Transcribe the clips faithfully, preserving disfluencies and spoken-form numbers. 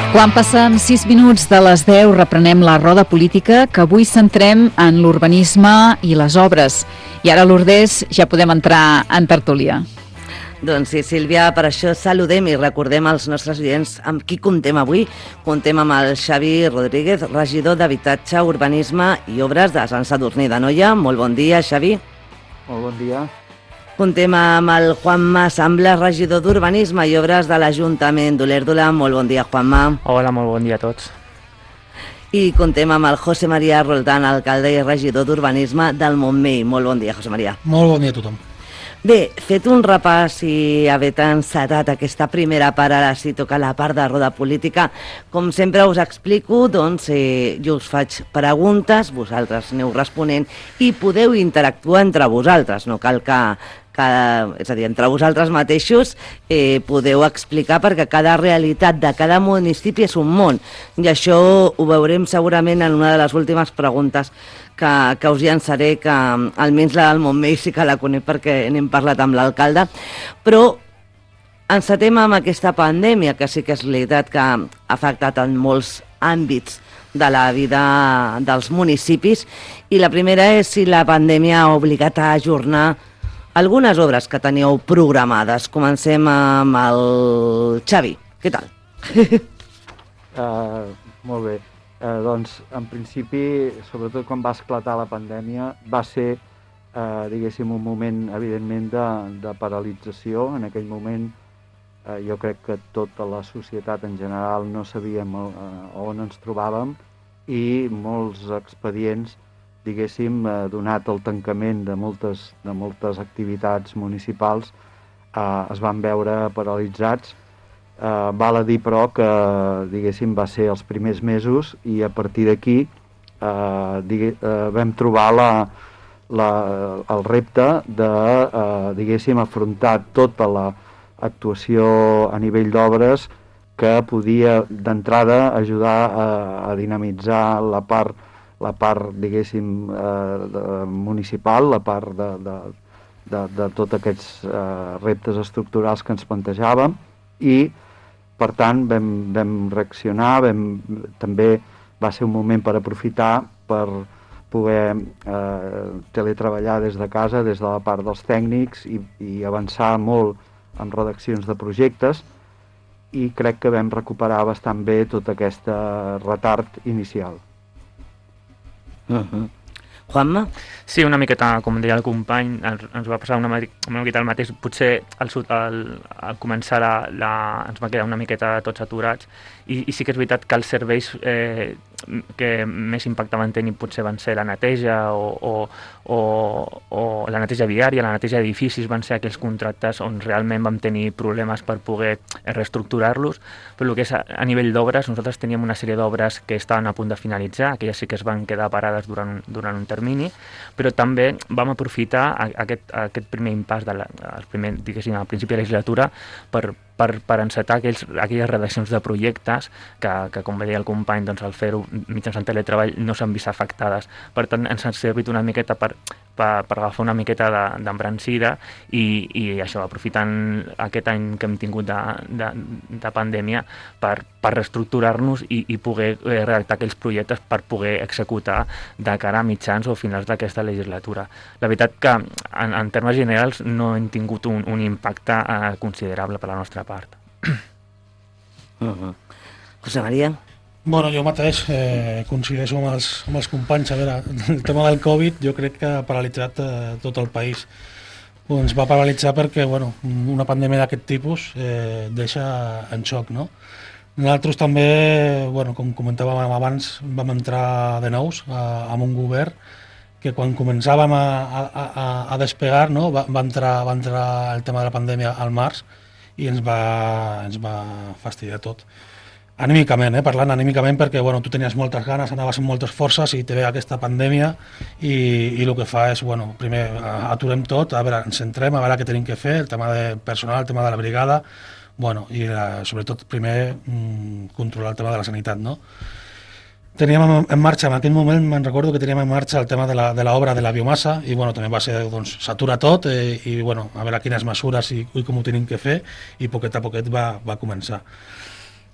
Quan passen sis minuts de les deu reprenem la roda política, que avui centrem en l'urbanisme i les obres. I ara, Lourdes, ja podem entrar en tertúlia. Doncs sí, Sílvia, per això saludem i recordem als nostres oients amb qui comptem avui. Comptem amb el Xavi Rodríguez, regidor d'Habitatge, Urbanisme i Obres de Sant Sadurní d'Anoia. Molt bon dia, Xavi. Molt bon dia. Comptem amb el Juanma Sambla, regidor d'Urbanisme i Obres de l'Ajuntament d'Olèrdola. Molt bon dia, Juanma. Hola, molt bon dia a tots. I comptem amb el José María Roldán, alcalde i regidor d'Urbanisme del Montmell. Molt bon dia, José María. Molt bon dia a tothom. Bé, fet un repàs i haver encetat aquesta primera part, ara sí toca la part de roda política. Com sempre us explico, doncs, eh, jo us faig preguntes, vosaltres aneu responent i podeu interactuar entre vosaltres, no cal que... Cada, és a dir, entre vosaltres mateixos eh, podeu explicar, perquè cada realitat de cada municipi és un món, i això ho veurem segurament en una de les últimes preguntes que, que us llançaré, que almenys la del Montmell sí que la conec perquè n'hem parlat amb l'alcalde. Però encetem amb aquesta pandèmia, que sí que és veritat que ha afectat en molts àmbits de la vida dels municipis, i la primera és si la pandèmia ha obligat a ajornar algunes obres que teníeu programades. Comencem amb el Xavi. Què tal? uh, molt bé. Uh, doncs, en principi, sobretot quan va esclatar la pandèmia, va ser, uh, diguéssim, un moment, evidentment, de, de paralització. En aquell moment, uh, jo crec que tota la societat en general no sabíem uh, on ens trobàvem, i molts expedients, diguéssim, eh, donat el tancament de moltes, de moltes activitats municipals, eh, es van veure paralitzats. Eh, val a dir, però, que, diguéssim, va ser els primers mesos, i a partir d'aquí eh, digue, eh, vam trobar la, la, el repte de, eh, diguéssim, afrontar tota l'actuació a nivell d'obres que podia, d'entrada, ajudar a, a dinamitzar la part la part, diguéssim, eh, de, municipal, la part de, de, de, de tots aquests eh, reptes estructurals que ens plantejàvem, i, per tant, vam, vam reaccionar, vam, també va ser un moment per aprofitar per poder eh, teletreballar des de casa, des de la part dels tècnics, i, i avançar molt en redaccions de projectes, i crec que vam recuperar bastant bé tot aquest retard inicial. Uh-huh. Juanma? Sí, una miqueta, com deia el company, ens va passar una, una miqueta el mateix. Potser al, al, al començar la, la, ens va quedar una miqueta tots aturats, i, i sí que és veritat que els serveis eh, que més impacte van tenir potser van ser la neteja o, o, o, o la neteja viària, la neteja d'edificis, van ser aquells contractes on realment vam tenir problemes per poder reestructurar-los. Però el que és a, a nivell d'obres, nosaltres teníem una sèrie d'obres que estaven a punt de finalitzar, aquelles sí que es van quedar parades durant, durant un termini, però també vam aprofitar aquest, aquest primer impàs de la, el primer, diguéssim, al principi de la legislatura per, per, per encetar aquells, aquelles redaccions de projectes que, que com deia el company, doncs, al fer-ho mitjançant teletreball no s'han vist afectades. Per tant, ens ha servit una miqueta per, per, per agafar una miqueta d'embrancida, i, i això, aprofitant aquest any que hem tingut de, de, de pandèmia per, per reestructurar-nos i, i poder eh, redactar aquells projectes per poder executar de cara a mitjans o finals d'aquesta legislatura. La veritat que en, en termes generals no hem tingut un, un impacte eh, considerable per la nostra part. Uh-huh. José María? Bueno, jo mateix eh, coincideixo amb els, amb els companys. A veure, el tema del Covid jo crec que ha paralitzat eh, tot el país. Ens va paralitzar perquè, bueno, una pandèmia d'aquest tipus eh, deixa en xoc, no? Nosaltres també, bueno, com comentàvem abans, vam entrar de nous a, amb un govern que quan començàvem a, a, a, a despegar, no, va, va, entrar, va entrar el tema de la pandèmia al març, i ens va, ens va fastidiar tot. Anímicament, eh, parlant anímicament, perquè bueno, tu tenies moltes ganes, anaves amb moltes forces, i te ve aquesta pandèmia, i, i el que fa és, bueno, primer aturem tot, a veure, ens centrem, a veure què tenim que fer, el tema de personal, el tema de la brigada, bueno, i la, sobretot primer mmm, controlar el tema de la sanitat, no? Teníem en marxa, en aquell moment me'n recordo que teníem en marxa el tema de l'obra de, de la biomassa, i bueno, també va ser, doncs, s'atura tot, eh, i bueno, a veure quines mesures i, i com ho tenim que fer, i poquet a poquet va, va començar.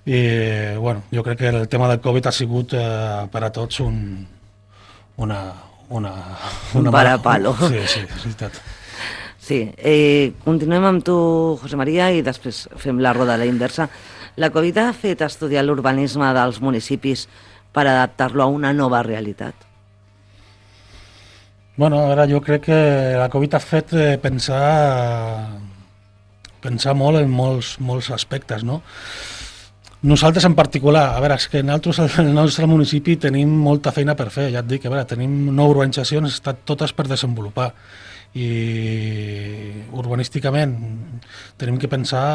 I, bueno, jo crec que el tema del Covid ha sigut eh, per a tots un, una... una, una un parapalo. Sí, sí, és veritat. Sí, eh, continuem amb tu, José María, i després fem la roda a la inversa. La Covid ha fet estudiar l'urbanisme dels municipis per adaptar-lo a una nova realitat? Bueno, ara jo crec que la Covid ha fet eh, pensar, pensar molt en molts, molts aspectes, no? Nosaltres en particular, a veure, és que nosaltres al nostre municipi tenim molta feina per fer, ja et dic, a veure, tenim nou urbanitzacions, estan totes per desenvolupar i urbanísticament tenim que pensar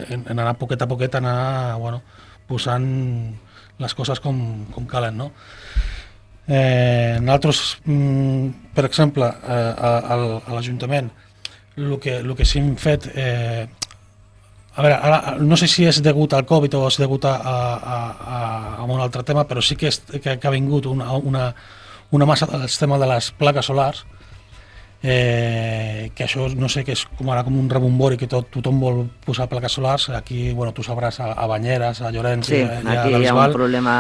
en, en anar poquet a poquet, anar bueno, posant les coses com, com calen, no? Eh, nosaltres, mm, per exemple, eh, a, a l'Ajuntament, el que, el que sí hem fet... Eh, A veure, ara, no sé si és degut al Covid o és degut a, a, a, a un altre tema, però sí que, és, que, que ha vingut una, una, una massa del tema de les plaques solars, eh, que això no sé, que és com ara com un rebombori, que tot, tothom vol posar plaques solars. Aquí, bueno, tu sabràs, a, a Banyeres, a Llorenç, sí, i, i a aquí hi ha un problema...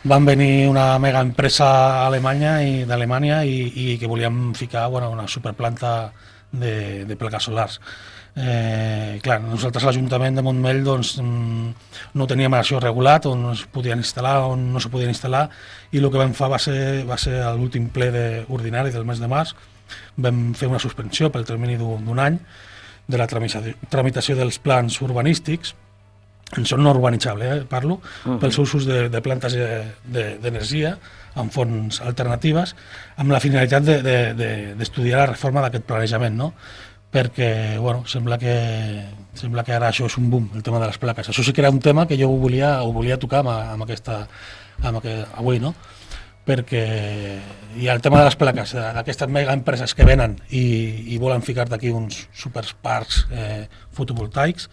Van venir una mega empresa alemanya i d'Alemanya i, i que volíem ficar bueno, una superplanta de, de plaques solars. Eh, clar, nosaltres a l'Ajuntament de Montmell doncs, no teníem això regulat, on es podien instal·lar, on no se podien instal·lar, i el que vam fer va ser, va ser a l'últim ple de, ordinari del mes de març. Vam fer una suspensió pel termini d'un any de la tramitació dels plans urbanístics, en són no urbanitzables, eh, parlo, uh -huh. pels usos de, de plantes d'energia amb fonts alternatives, amb la finalitat d'estudiar de, de, de la reforma d'aquest planejament, no? Perquè, bueno, sembla que, sembla que ara això és un boom, el tema de les plaques. Això sí que era un tema que jo ho volia, ho volia tocar amb, amb aquesta, amb aquest, avui, no? Perquè hi ha el tema de les plaques, d'aquestes mega empreses que venen i, i volen ficar d'aquí uns superparcs eh, fotovoltaics,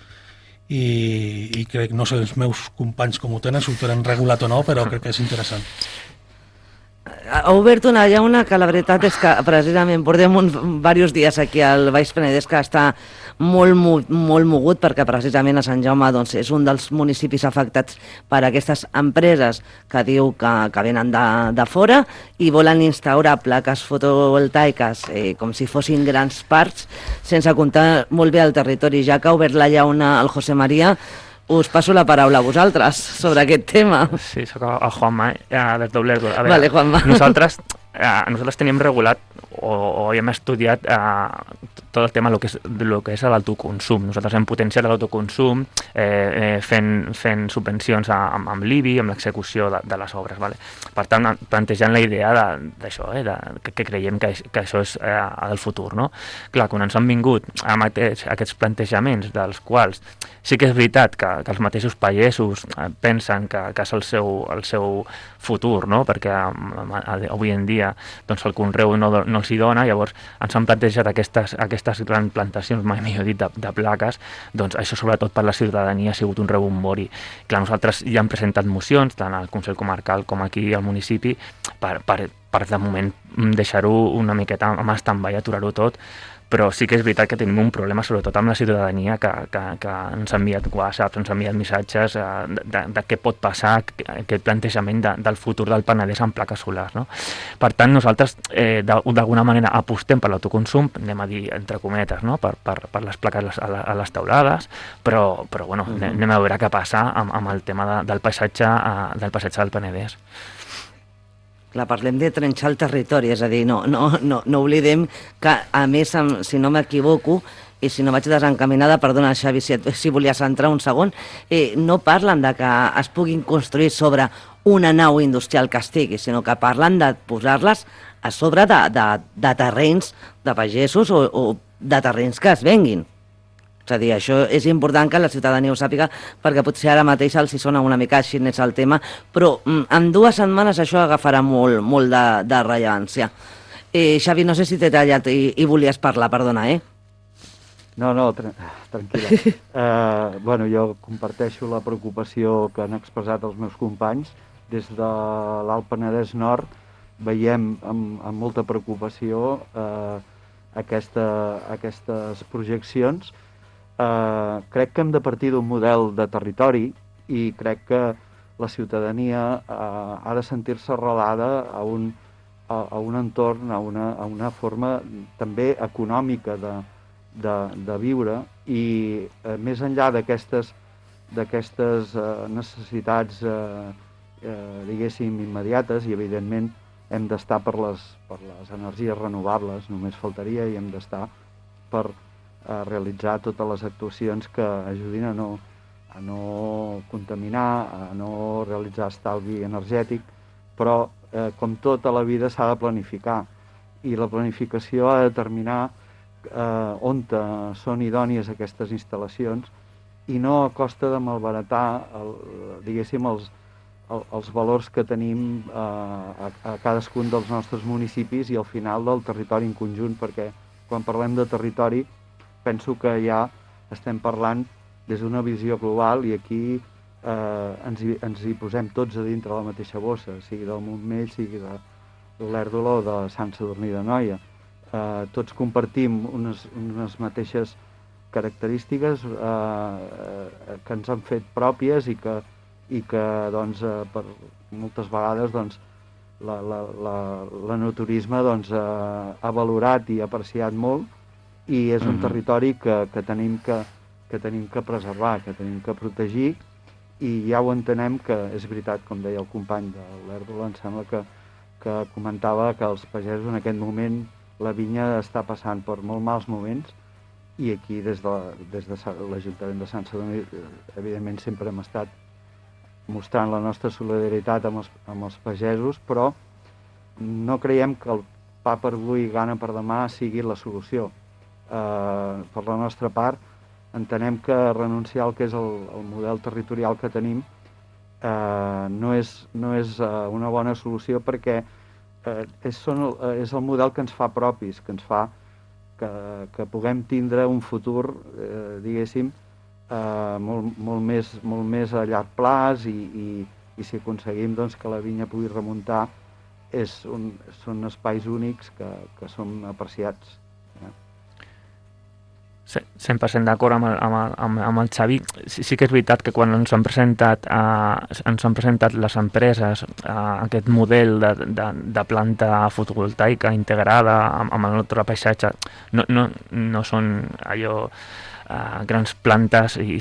i, i crec, no sé els meus companys com ho tenen, si ho tenen regulat o no, però crec que és interessant. Ha obert una llauna que la veritat és que precisament portem uns diversos dies aquí al Baix Penedès que està molt, molt, molt mogut, perquè precisament a Sant Jaume doncs, és un dels municipis afectats per aquestes empreses que diu que, que venen de, de fora i volen instaurar plaques fotovoltaiques eh, com si fossin grans parcs, sense comptar molt bé el territori. Ja que ha obert la llauna el José María, us passo la paraula a vosaltres sobre aquest tema. Sí, soc el Juanma, eh, des d'Oblerdo. A veure, vale, Juanma. Nosaltres, eh, nosaltres tenim regulat o, o hem estudiat eh, tot el tema del que és, lo que és l'autoconsum. Nosaltres hem potenciat l'autoconsum eh, eh, fent, fent subvencions a, amb, amb l'I B I, amb l'execució de, de les obres. Vale? Per tant, plantejant la idea d'això, eh, de, que, que creiem que, que això és eh, el futur. No? Clar, quan ens han vingut amb aquests, aquests plantejaments dels quals sí que és veritat que, que els mateixos pagesos eh, pensen que, que és el seu, el seu futur, no? Perquè eh, avui en dia doncs, el conreu no, no els hi dona, llavors ens han plantejat aquestes, aquestes grans plantacions, mai millor dit, de, de plaques, doncs això sobretot per la ciutadania ha sigut un rebombori. Clar, nosaltres ja hem presentat mocions, tant al Consell Comarcal com aquí al municipi, per, per, per de moment deixar-ho una miqueta amb stand-by, aturar-ho tot, però sí que és veritat que tenim un problema sobretot amb la ciutadania que, que, que ens ha enviat whatsapps, ens ha enviat missatges eh, de, de, de què pot passar aquest plantejament de, del futur del Penedès amb plaques solars. No? Per tant, nosaltres eh, d'alguna manera apostem per l'autoconsum, anem a dir entre cometes, no? per, per, per les plaques a, a les teulades, però, però bueno, uh -huh. anem a veure què passa amb, amb el tema de, del, paisatge, eh, del paisatge del Penedès. Clar, parlem de trenxar el territori, és a dir, no, no, no, no oblidem que, a més, si no m'equivoco, i si no vaig desencaminada, perdona, Xavi, si, si volies entrar un segon, eh, no parlen de que es puguin construir sobre una nau industrial que estigui, sinó que parlen de posar-les a sobre de, de, de terrenys de pagesos o, o de terrenys que es venguin. És a dir, això és important que la ciutadania ho sàpiga, perquè potser ara mateix els hi sona una mica així és el tema, però en dues setmanes això agafarà molt, molt de, de rellevància. Eh, Xavi, no sé si t'he tallat i, i volies parlar, perdona, eh? No, no, tra tranquil·la. uh, bueno, jo comparteixo la preocupació que han expressat els meus companys. Des de l'Alt Penedès Nord veiem amb, amb molta preocupació uh, aquesta, aquestes projeccions. Uh, crec que hem de partir d'un model de territori i crec que la ciutadania eh, ha de sentir-se arrelada a un, a, a un entorn, a una, a una forma també econòmica de, de, de viure, i eh, més enllà d'aquestes d'aquestes eh, necessitats eh, eh, diguéssim immediates, i evidentment hem d'estar per les, per les energies renovables, només faltaria, i hem d'estar per eh, realitzar totes les actuacions que ajudin a no, a no contaminar, a no realitzar estalvi energètic, però eh, com tota la vida s'ha de planificar, i la planificació ha de determinar eh, on són idònies aquestes instal·lacions, i no a costa de malbaratar el, diguéssim els, el, els valors que tenim eh, a, a cadascun dels nostres municipis i al final del territori en conjunt, perquè quan parlem de territori penso que ja estem parlant des d'una visió global, i aquí eh, ens, hi, ens hi posem tots a dintre la mateixa bossa, sigui del Montmell, sigui de l'Olèrdola o de Sant Sadurní d'Anoia. Eh, tots compartim unes, unes mateixes característiques eh, eh, que ens han fet pròpies, i que, i que doncs, eh, per moltes vegades doncs, la, la, la, l'enoturisme doncs, eh, ha valorat i apreciat molt, i és un mm-hmm. territori que, que, tenim que, que tenim que preservar, que tenim que protegir, i ja ho entenem que és veritat, com deia el company de l'Olèrdola, em sembla que, que comentava que els pagesos en aquest moment la vinya està passant per molt mals moments, i aquí des de, des de l'Ajuntament de Sant Sadurní evidentment sempre hem estat mostrant la nostra solidaritat amb els, amb els pagesos, però no creiem que el pa per avui, gana per demà sigui la solució. Eh, per la nostra part, entenem que renunciar al que és el, el model territorial que tenim eh, no és, no és eh, una bona solució, perquè eh, és, són, és el model que ens fa propis, que ens fa Que, que puguem tindre un futur, eh, diguéssim, eh, molt, molt, més, molt més a llarg plaç, i, i, i si aconseguim doncs, que la vinya pugui remuntar, és un, són espais únics que, que són apreciats. Eh? cent per cent d'acord amb, el, amb, el, amb, amb el Xavi. Sí, sí que és veritat que quan ens han presentat, eh, ens han presentat les empreses eh, aquest model de, de, de planta fotovoltaica integrada amb, amb el nostre paisatge, no, no, no són allò eh, grans plantes i,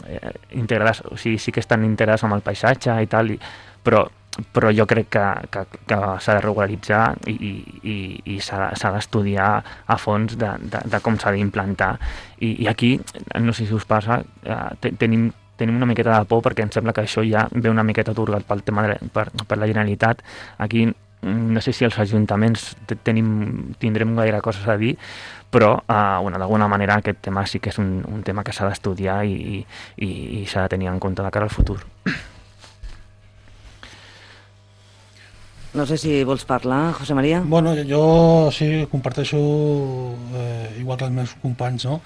eh, integrades, o sigui, sí que estan integrades amb el paisatge i tal, i, però però jo crec que, que, que s'ha de regularitzar i, i, i s'ha d'estudiar a fons de, de, de com s'ha d'implantar. I, I aquí, no sé si us passa, eh, tenim, tenim una miqueta de por, perquè em sembla que això ja ve una miqueta atorgat pel tema de, per, per la Generalitat. Aquí no sé si els ajuntaments tenim, tindrem gaire coses a dir, però eh, bueno, d'alguna manera aquest tema sí que és un, un tema que s'ha d'estudiar i, i, i s'ha de tenir en compte de cara al futur. No sé si vols parlar, José María. Bueno, jo sí comparteixo, eh, igual que els meus companys, no?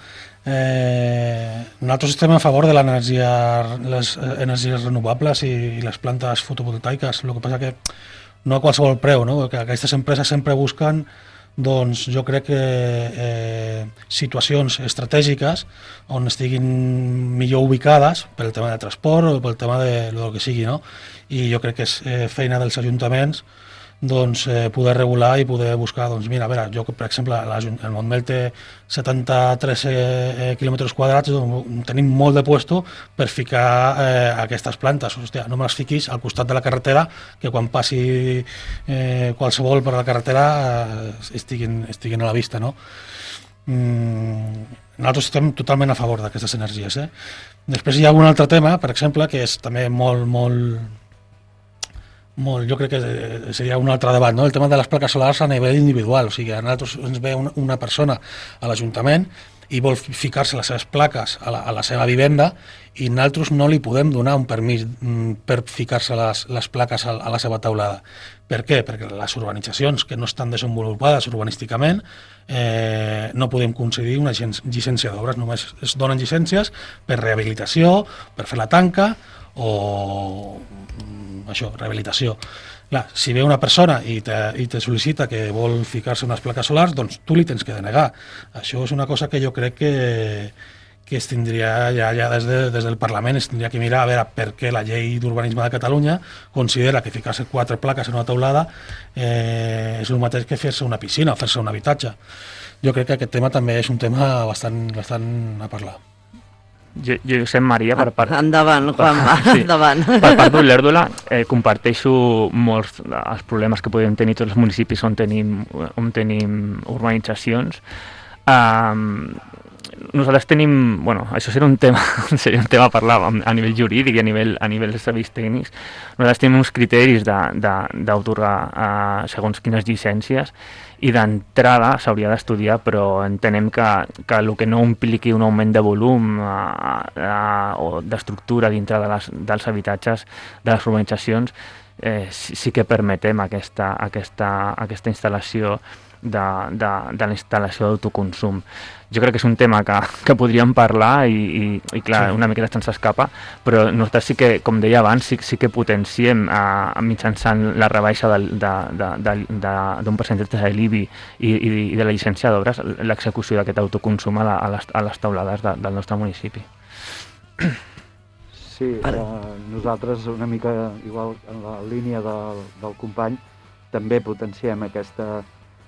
Eh, nosaltres estem a favor de l'energia, les energies renovables i, i les plantes fotovoltaiques. El que passa que no a qualsevol preu, no? Que aquestes empreses sempre busquen, doncs jo crec que eh, situacions estratègiques on estiguin millor ubicades pel tema de transport o pel tema de lo que sigui, no? I jo crec que és eh, feina dels ajuntaments doncs, eh, poder regular i poder buscar, doncs mira, a veure, jo per exemple el Montmell té setanta-tres eh, quilòmetres quadrats, doncs, tenim molt de puesto per ficar eh, aquestes plantes. Hòstia, no me les fiquis al costat de la carretera, que quan passi eh, qualsevol per la carretera eh, estiguin, estiguin a la vista, no? Mm, nosaltres estem totalment a favor d'aquestes energies, eh? Després hi ha un altre tema, per exemple, que és també molt, molt molt, jo crec que seria un altre debat, no? El tema de les plaques solars a nivell individual, o sigui, a nosaltres ens ve una, una persona a l'Ajuntament i vol ficar-se les seves plaques a la, a la seva vivenda i nosaltres no li podem donar un permís per ficar-se les, les plaques a, a la seva taulada. Per què? Perquè les urbanitzacions que no estan desenvolupades urbanísticament eh, no podem concedir una llicència d'obres, només es donen llicències per rehabilitació, per fer la tanca o això, rehabilitació. Clar, si ve una persona i te, i te sol·licita que vol ficar-se unes plaques solars, doncs tu li tens que denegar. Això és una cosa que jo crec que, que es tindria ja, ja des, de, des del Parlament es tindria que mirar a veure per què la llei d'urbanisme de Catalunya considera que ficar-se quatre plaques en una teulada eh, és el mateix que fer-se una piscina o fer-se un habitatge. Jo crec que aquest tema també és un tema bastant, bastant a parlar. Jo, jo Josep Maria, per part... Endavant, Juanma, sí, endavant. Per part d'Olèrdola, eh, comparteixo molts els problemes que podem tenir tots els municipis on tenim, on tenim urbanitzacions. Um, nosaltres tenim, bueno, això seria un tema, seria un tema a parlar a nivell jurídic i a nivell, a nivell de serveis tècnics. Nosaltres tenim uns criteris d'autorgar uh, segons quines llicències i d'entrada s'hauria d'estudiar, però entenem que, que el que no impliqui un augment de volum uh, uh, o d'estructura dintre de les, dels habitatges de les urbanitzacions eh, sí, sí que permetem aquesta, aquesta, aquesta instal·lació de, de, de la instal·lació d'autoconsum. Jo crec que és un tema que, que podríem parlar i, i, i clar, sí. Una miqueta se'ns escapa, però nosaltres sí que, com deia abans, sí, sí que potenciem eh, mitjançant la rebaixa d'un percentatge de l'I B I i, i, i de la llicència d'obres l'execució d'aquest autoconsum a, la, a, les, a les taulades de, del nostre municipi. Sí, eh, nosaltres una mica igual en la línia del, del company també potenciem aquesta,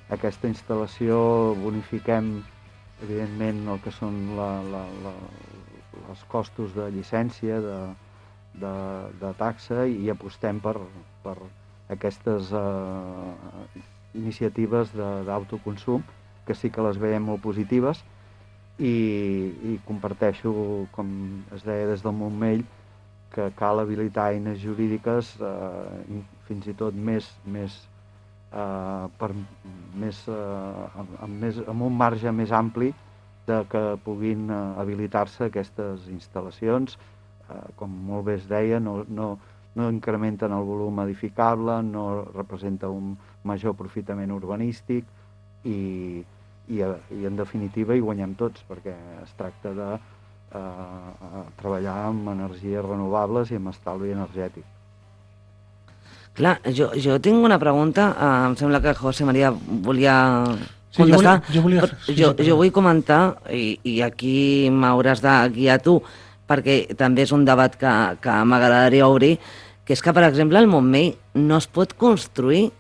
aquesta instal·lació, bonifiquem evidentment el que són la, la, la, els costos de llicència, de, de, de taxa i apostem per, per aquestes eh, iniciatives d'autoconsum que sí que les veiem molt positives i, i comparteixo, com es deia des del Montmell, que cal habilitar eines jurídiques eh, fins i tot més, més Uh, per més, uh, amb, més, amb un marge més ampli de que puguin uh, habilitar-se aquestes instal·lacions. Uh, com molt bé es deia, no, no, no incrementen el volum edificable, no representa un major aprofitament urbanístic i, i, i en definitiva hi guanyem tots, perquè es tracta de uh, treballar amb energies renovables i amb estalvi energètic. Clar, jo, jo tinc una pregunta, uh, em sembla que José María volia contestar. Sí, jo volia, jo, volia, sí, jo, jo vull comentar, i, i aquí m'hauràs de guiar tu, perquè també és un debat que, que m'agradaria obrir, que és que, per exemple, al Montmell no es pot construir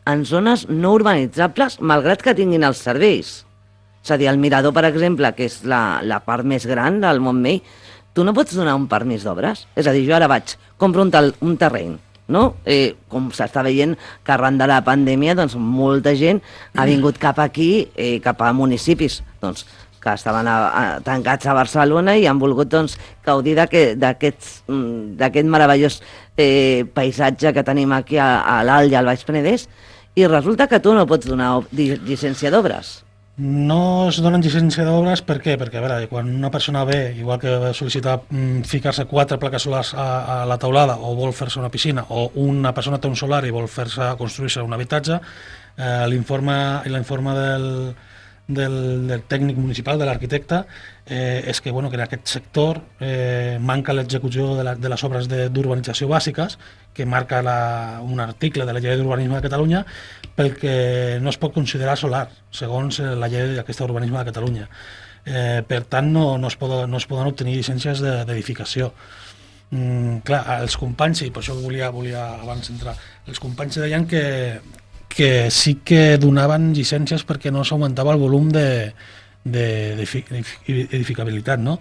en zones no urbanitzables, malgrat que tinguin els serveis. És a dir, el Mirador, per exemple, que és la, la part més gran del Montmell, tu no pots donar un permís d'obres? És a dir, jo ara vaig, compro un, tel, un terreny, no? Eh, com s'està veient que arran de la pandèmia doncs molta gent ha vingut cap aquí, eh, cap a municipis doncs, que estaven a, a, tancats a Barcelona i han volgut doncs, gaudir d'aquest meravellós eh, paisatge que tenim aquí a, a l'Alt i al Baix Penedès, i resulta que tu no pots donar llicència d'obres. No es donen llicència d'obres, per què? Perquè a veure, quan una persona ve, igual que sol·licita mm, ficar-se quatre plaques solars a, a la teulada o vol fer-se una piscina, o una persona té un solar i vol fer-se construir-se un habitatge, eh, l'informe del, del, del tècnic municipal, de l'arquitecte, eh, és que, bueno, que en aquest sector eh, manca l'execució de, la, de les obres d'urbanització bàsiques, que marca la, un article de la llei d'urbanisme de Catalunya, pel que no es pot considerar solar, segons la llei d'aquesta urbanisme de Catalunya. Eh, per tant, no, no, es poden, no es poden obtenir llicències d'edificació. Mm, clar, els companys, i per això volia, volia abans entrar, els companys deien que, que sí que donaven llicències perquè no s'augmentava el volum d'edificabilitat, no?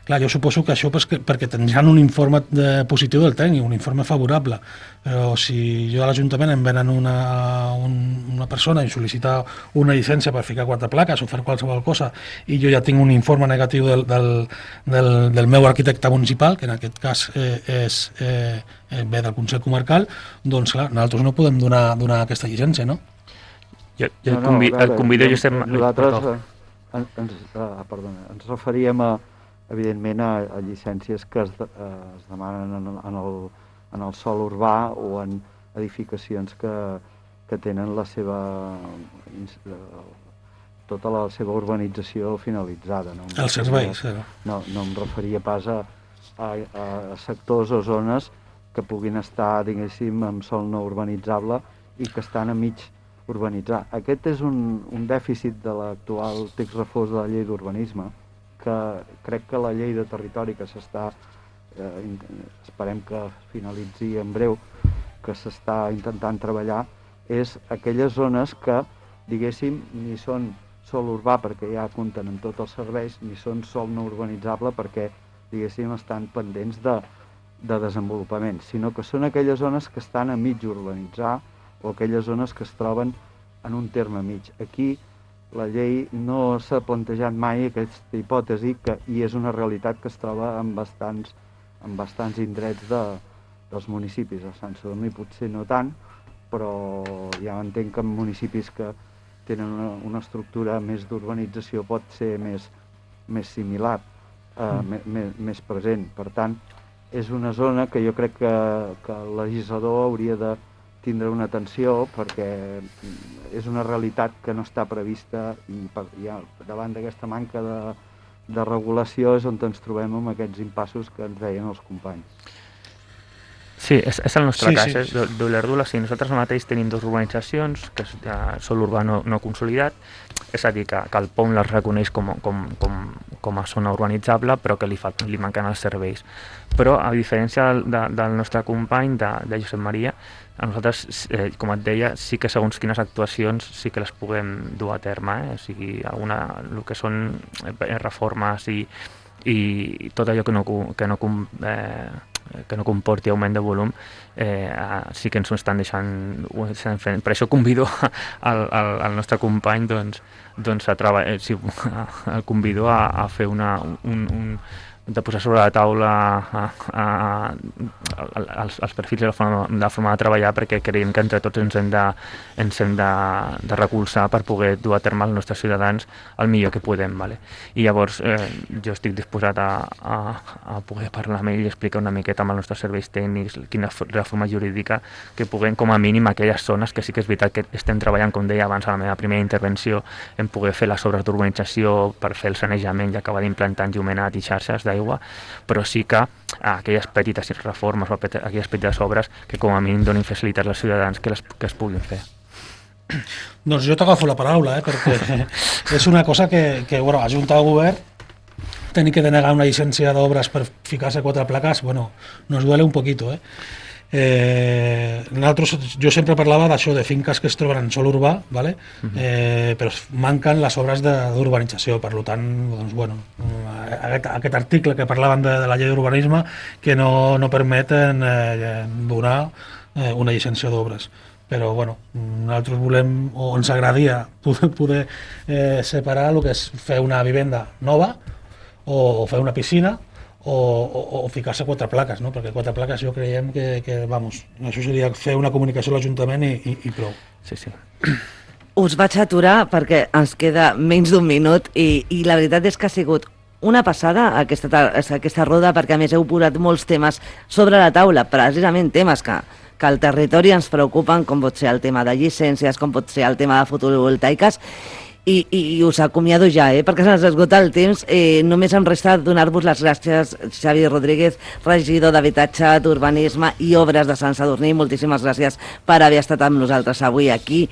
Clar, jo suposo que això perquè, perquè tindran un informe de, positiu del tècnic, un informe favorable, però si jo a l'Ajuntament em venen una, un, una persona i sol·licita una llicència per ficar quatre plaques o fer qualsevol cosa i jo ja tinc un informe negatiu del, del, del, del meu arquitecte municipal, que en aquest cas eh, és, eh, ve del Consell Comarcal, doncs clar, nosaltres no podem donar, donar aquesta llicència, no? Jo, jo no, no, el, convido, el convido jo sempre... Nosaltres eh, ens, eh, perdona, ens referíem a evidentment a, a llicències que es, de, eh, es demanen en, en, el, en el sòl urbà o en edificacions que, que tenen la seva tota la seva urbanització finalitzada. No? Els serveis. No, no em referia pas a, a, a sectors o zones que puguin estar, diguéssim, amb sòl no urbanitzable i que estan a mig urbanitzar. Aquest és un, un dèficit de l'actual text refós de la llei d'urbanisme, que crec que la llei de territori que s'està, eh, esperem que finalitzi en breu, que s'està intentant treballar, és aquelles zones que, diguéssim, ni són sol urbà perquè ja compten amb tots els serveis, ni són sol no urbanitzable perquè, diguéssim, estan pendents de, de desenvolupament, sinó que són aquelles zones que estan a mig urbanitzar o aquelles zones que es troben en un terme mig. Aquí la llei no s'ha plantejat mai aquesta hipòtesi que, i és una realitat que es troba en bastants, en bastants indrets de, dels municipis. A Sant Sadurní potser no tant, però ja entenc que en municipis que tenen una, una estructura més d'urbanització pot ser més, més similar, eh, mm. més, més present. Per tant, és una zona que jo crec que, que el legislador hauria de tindre una atenció perquè és una realitat que no està prevista i per, ja, davant d'aquesta manca de, de regulació és on ens trobem amb aquests impassos que ens deien els companys. Sí, és, és el nostre sí, cas, sí. eh? d'Olèrdola, sí, nosaltres mateix tenim dues urbanitzacions, que és ja sol urbà no, no consolidat, és a dir, que, que el P O M les reconeix com, com, com, com a zona urbanitzable, però que li, fa, li manquen els serveis. Però, a diferència de, del nostre company, de, de Josep Maria, a nosaltres, eh, com et deia, sí que segons quines actuacions sí que les puguem dur a terme, eh? O sigui, alguna, el que són reformes i, i tot allò que no, que no eh, que no comporti augment de volum, eh, sí que ens ho estan deixant, ho estan fent. Per això convido al, al, al nostre company doncs, doncs a treballar, sí, el convido a, a fer una, un, un, de posar sobre la taula a, a, a, els, els perfils i la forma, la forma de treballar, perquè creiem que entre tots ens hem de, ens hem de, de recolzar per poder dur a terme els nostres ciutadans el millor que podem. Vale? I llavors eh, jo estic disposat a, a, a poder parlar amb ell i explicar una miqueta amb els nostres serveis tècnics quina reforma jurídica que puguem, com a mínim, aquelles zones que sí que és veritat que estem treballant, com deia abans a la meva primera intervenció, en poder fer les obres d'urbanització per fer el sanejament i acabar d'implantar enllumenat i xarxes d'aigua, però sí que aquelles petites reformes o aquelles petites obres que com a mínim donin facilitats als ciutadans que, les, que es puguin fer. Doncs jo t'agafo la paraula, eh, perquè és una cosa que, que bueno, a Junta de Govern tenir que denegar una llicència d'obres per ficar-se quatre plaques, bueno, nos duele un poquito, eh. Eh, nosaltres, jo sempre parlava d'això, de finques que es troben en sòl urbà, ¿vale? Uh-huh. eh, però manquen les obres d'urbanització, per tant, doncs, bueno, aquest, aquest article que parlaven de, de la llei d'urbanisme que no, no permeten eh, donar eh, una llicència d'obres. Però bueno, nosaltres volem, o ens agradaria poder, poder eh, separar el que és fer una vivenda nova o, o fer una piscina, o, o, o ficar-se quatre plaques, no? Perquè quatre plaques jo creiem que, que, vamos, això seria fer una comunicació a l'Ajuntament i, i, i prou. Sí, sí. Us vaig aturar perquè ens queda menys d'un minut i, i la veritat és que ha sigut una passada aquesta, aquesta roda, perquè a més heu posat molts temes sobre la taula, precisament temes que, que al territori ens preocupen, com pot ser el tema de llicències, com pot ser el tema de fotovoltaiques, I, i, i us acomiado ja, eh? Perquè se'ns esgota el temps. Eh, només em resta donar-vos les gràcies, Xavi Rodríguez, regidor d'Habitatge, d'Urbanisme i Obres de Sant Sadurní. Moltíssimes gràcies per haver estat amb nosaltres avui aquí.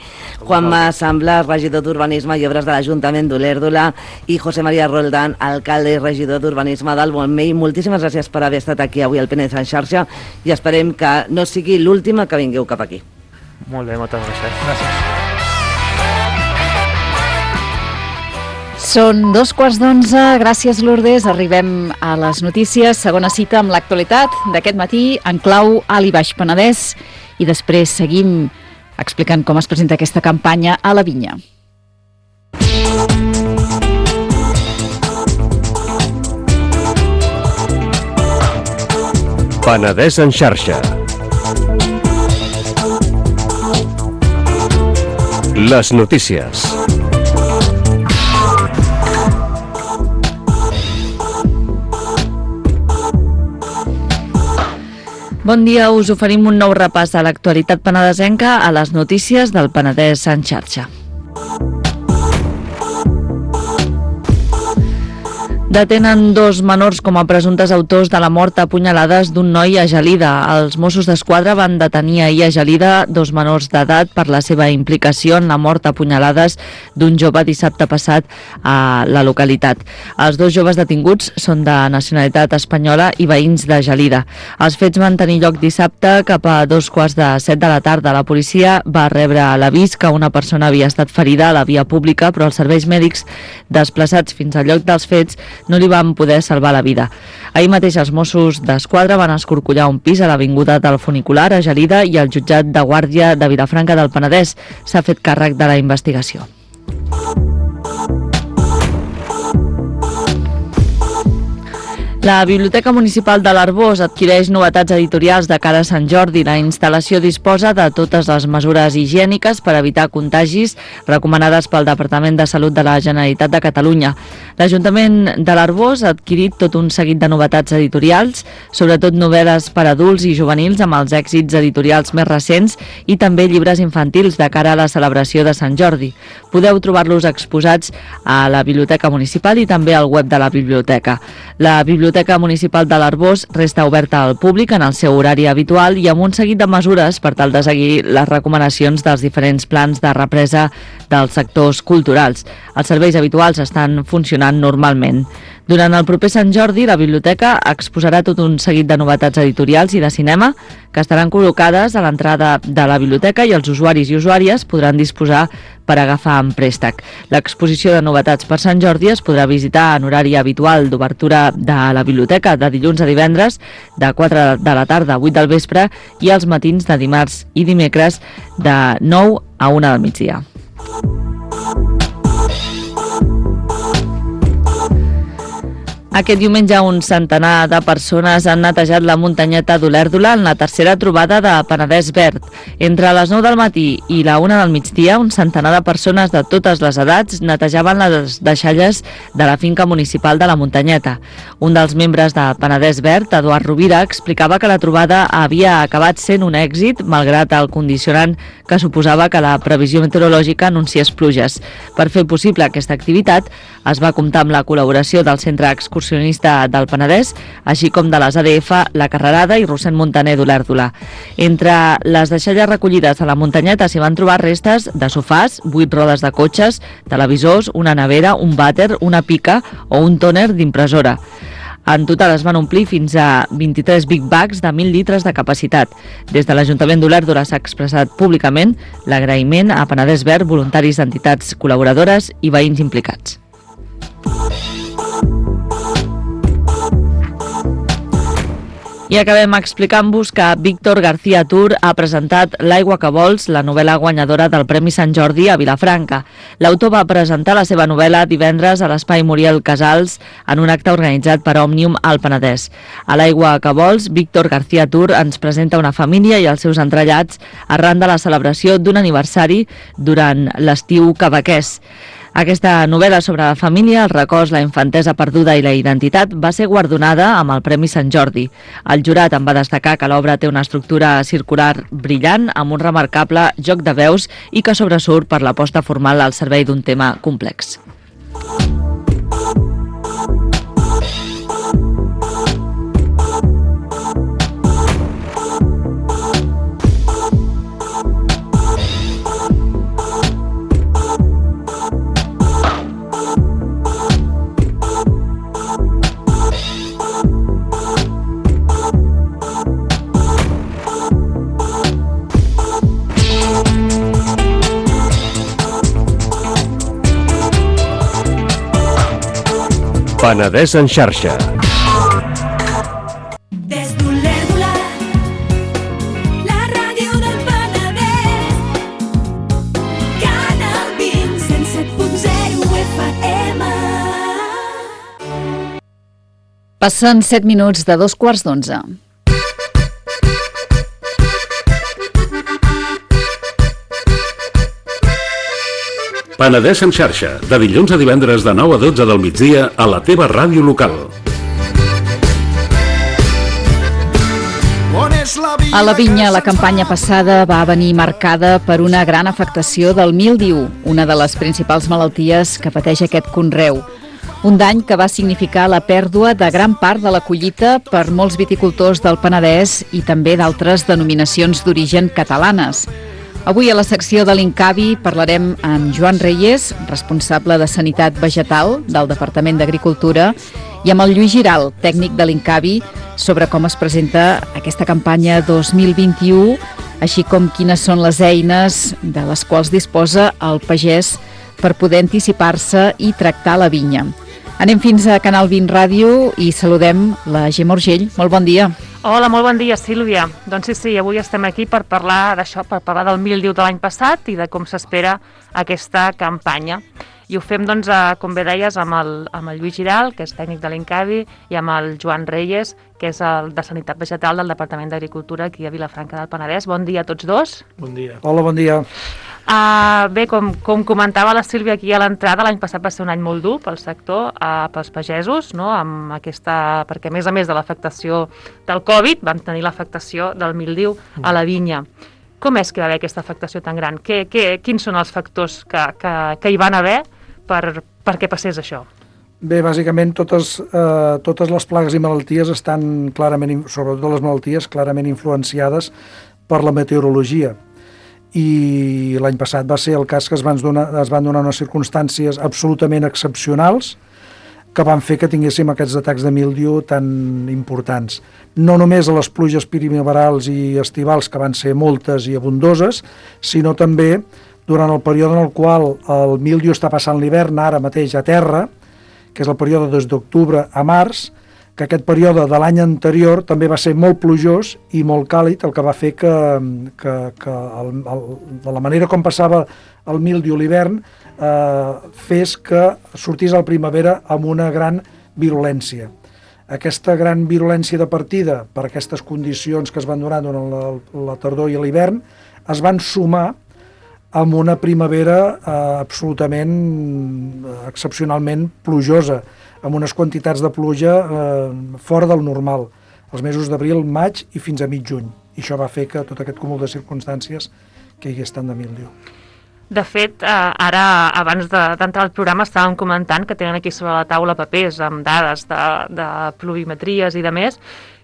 Juanma Sambla, regidor d'Urbanisme i Obres de l'Ajuntament d'Olèrdola, i José María Roldán, alcalde i regidor d'Urbanisme del Montmell. Moltíssimes gràcies per haver estat aquí avui al Penedès en xarxa i esperem que no sigui l'última que vingueu cap aquí. Molt bé, moltes gràcies. Gràcies. Són dos quarts d'onze, gràcies Lourdes, arribem a les notícies, segona cita amb l'actualitat d'aquest matí en clau Alt i Baix Penedès i després seguim explicant com es presenta aquesta campanya a la Vinya. Penedès en xarxa. Les notícies. Bon dia, us oferim un nou repàs de l'actualitat penedesenca a les notícies del Penedès en xarxa. Detenen dos menors com a presumptes autors de la mort a punyalades d'un noi a Gelida. Els Mossos d'Esquadra van detenir ahir a Gelida dos menors d'edat per la seva implicació en la mort a punyalades d'un jove dissabte passat a la localitat. Els dos joves detinguts són de nacionalitat espanyola i veïns de Gelida. Els fets van tenir lloc dissabte cap a dos quarts de set de la tarda. La policia va rebre l'avís que una persona havia estat ferida a la via pública, però els serveis mèdics desplaçats fins al lloc dels fets no li van poder salvar la vida. Ahir mateix els Mossos d'Esquadra van escorcollar un pis a l'avinguda del Funicular a Gelida i el jutjat de guàrdia de Vilafranca del Penedès s'ha fet càrrec de la investigació. La Biblioteca Municipal de l'Arboç adquireix novetats editorials de cara a Sant Jordi. La instal·lació disposa de totes les mesures higièniques per evitar contagis recomanades pel Departament de Salut de la Generalitat de Catalunya. L'Ajuntament de l'Arboç ha adquirit tot un seguit de novetats editorials, sobretot novel·les per adults i juvenils amb els èxits editorials més recents i també llibres infantils de cara a la celebració de Sant Jordi. Podeu trobar-los exposats a la Biblioteca Municipal i també al web de la biblioteca. La Biblioteca La Biblioteca Municipal de l'Arboç resta oberta al públic en el seu horari habitual i amb un seguit de mesures per tal de seguir les recomanacions dels diferents plans de represa dels sectors culturals. Els serveis habituals estan funcionant normalment. Durant el proper Sant Jordi, la biblioteca exposarà tot un seguit de novetats editorials i de cinema que estaran col·locades a l'entrada de la biblioteca i els usuaris i usuàries podran disposar per agafar en préstec. L'exposició de novetats per Sant Jordi es podrà visitar en horari habitual d'obertura de la biblioteca de dilluns a divendres de quatre de la tarda a vuit del vespre i els matins de dimarts i dimecres de nou a una del migdia. Aquest diumenge un centenar de persones han netejat la muntanyeta d'Olèrdola en la tercera trobada de Penedès Verd. Entre les nou del matí i la una del migdia, un centenar de persones de totes les edats netejaven les deixalles de la finca municipal de la muntanyeta. Un dels membres de Penedès Verd, Eduard Rovira, explicava que la trobada havia acabat sent un èxit, malgrat el condicionant que suposava que la previsió meteorològica anunciés pluges. Per fer possible aquesta activitat, es va comptar amb la col·laboració del Centre Excursionista del Penedès, així com de les A D F, la Carrerada i Rossend Montaner d'Olèrdola. Entre les deixalles recollides a la muntanyeta s'hi van trobar restes de sofàs, vuit rodes de cotxes, televisors, una nevera, un vàter, una pica o un tòner d'impressora. En total es van omplir fins a vint-i-tres big bags de mil litres de capacitat. Des de l'Ajuntament d'Olèrdola s'ha expressat públicament l'agraïment a Penedès Verd, voluntaris d'entitats col·laboradores i veïns implicats. I acabem explicant-vos que Víctor García Tur ha presentat L'aigua que vols, la novel·la guanyadora del Premi Sant Jordi a Vilafranca. L'autor va presentar la seva novel·la divendres a l'Espai Muriel Casals en un acte organitzat per Òmnium al Penedès. A L'aigua que vols, Víctor García Tur ens presenta una família i els seus entrellats arran de la celebració d'un aniversari durant l'estiu quebequès. Aquesta novel·la sobre la família, el records, la infantesa perduda i la identitat va ser guardonada amb el Premi Sant Jordi. El jurat en va destacar que l'obra té una estructura circular brillant amb un remarcable joc de veus i que sobresurt per l'aposta formal al servei d'un tema complex. Penedès en xarxa. Des d'Olèrdola, la ràdio del Penedès, Canal vint, cent set punt zero F M. Passen set minuts de dos quarts d'onze. Penedès en xarxa, de dilluns a divendres de nou a dotze del migdia a la teva ràdio local. A la Vinya, la campanya passada va venir marcada per una gran afectació del míldiu, una de les principals malalties que pateix aquest conreu. Un dany que va significar la pèrdua de gran part de la collita per molts viticultors del Penedès i també d'altres denominacions d'origen catalanes. Avui a la secció de l'Incavi parlarem amb Joan Reyes, responsable de Sanitat Vegetal del Departament d'Agricultura, i amb el Lluís Giral, tècnic de l'Incavi, sobre com es presenta aquesta campanya dos mil vint-i-u, així com quines són les eines de les quals disposa el pagès per poder anticipar-se i tractar la vinya. Anem fins a Canal vint Ràdio i saludem la Gemma Urgell. Molt bon dia. Hola, molt bon dia, Sílvia. Doncs sí, sí, avui estem aquí per parlar d'això, per parlar del míldiu de l'any passat i de com s'espera aquesta campanya. I ho fem, doncs, com bé deies, amb el, amb el Lluís Giral, que és tècnic de l'Incavi, i amb el Joan Reyes, que és el de Sanitat Vegetal del Departament d'Agricultura aquí a Vilafranca del Penedès. Bon dia a tots dos. Bon dia. Hola, bon dia. Uh, bé, com, com comentava la Sílvia aquí a l'entrada, l'any passat va ser un any molt dur pel sector, uh, pels pagesos, no? Amb aquesta, perquè a més a més de l'afectació del Covid van tenir l'afectació del míldiu a la vinya. Com és que va haver aquesta afectació tan gran? Que, que, quins són els factors que, que, que hi van haver per, perquè passés això? Bé, bàsicament totes, eh, totes les plagues i malalties estan clarament, sobretot les malalties, clarament influenciades per la meteorologia. I l'any passat va ser el cas que es van donar, es van donar unes circumstàncies absolutament excepcionals que van fer que tinguéssim aquests atacs de míldiu tan importants. No només a les pluges primaverals i estivals, que van ser moltes i abundoses, sinó també durant el període en el qual el míldiu està passant l'hivern ara mateix a terra, que és el període des d'octubre a març, que aquest període de l'any anterior també va ser molt plujós i molt càlid, el que va fer que, que, que el, el, de la manera com passava el míldiu l'hivern eh, fes que sortís a la primavera amb una gran virulència. Aquesta gran virulència de partida per aquestes condicions que es van donar durant la, la tardor i l'hivern es van sumar amb una primavera eh, absolutament excepcionalment plujosa, amb unes quantitats de pluja eh, fora del normal, els mesos d'abril, maig i fins a mig juny. I això va fer que tot aquest cúmul de circumstàncies que hi hagués tant de míldiu. De fet, eh, ara, abans d'entrar al programa, estàvem comentant que tenen aquí sobre la taula papers amb dades de, de pluviometries i de més.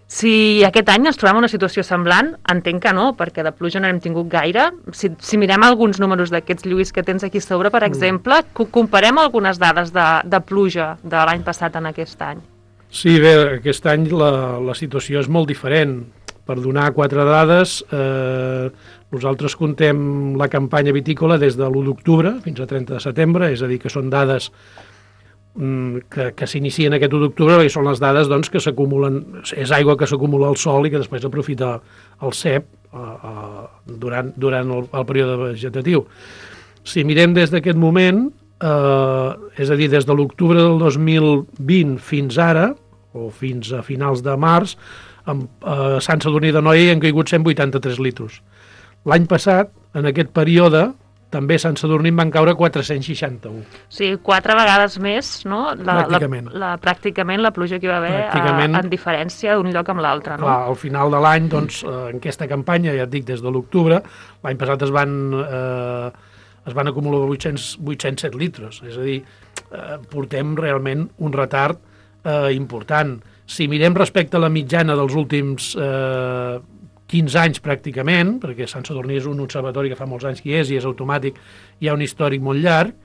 Si aquest any ens trobem en una situació semblant, entenc que no, perquè de pluja no n'hem tingut gaire. Si, si mirem alguns números d'aquests, Lluís, que tens aquí sobre, per exemple, mm. comparem algunes dades de, de pluja de l'any passat en aquest any. Sí, bé, aquest any la, la situació és molt diferent. Per donar quatre dades, eh, nosaltres contem la campanya vitícola des de l'u d'octubre fins a trenta de setembre, és a dir, que són dades que, que s'inicien aquest u d'octubre, perquè són les dades doncs, que s'acumulen, és aigua que s'acumula al sol i que després aprofita el cep uh, uh, durant, durant el, el període vegetatiu. Si mirem des d'aquest moment, uh, és a dir, des de l'octubre del dos mil vint fins ara, o fins a finals de març, amb, uh, a Sant Sadurní d'Anoia hi han caigut cent vuitanta-tres litros. L'any passat, en aquest període, també a Sant Sadurní en van caure quatre-cents seixanta-un. O sigui, quatre vegades més, no? La, pràcticament. La, la, pràcticament la pluja que hi va haver a, en diferència d'un lloc amb l'altre, no? Clar, al final de l'any, doncs, en aquesta campanya, ja et dic, des de l'octubre, l'any passat es van, eh, es van acumular vuit-cents, vuit-cents set litres, és a dir, eh, portem realment un retard eh, important. Si mirem respecte a la mitjana dels últims eh, quinze anys pràcticament, perquè Sant Sadurní és un observatori que fa molts anys que hi és i és automàtic, hi ha un històric molt llarg,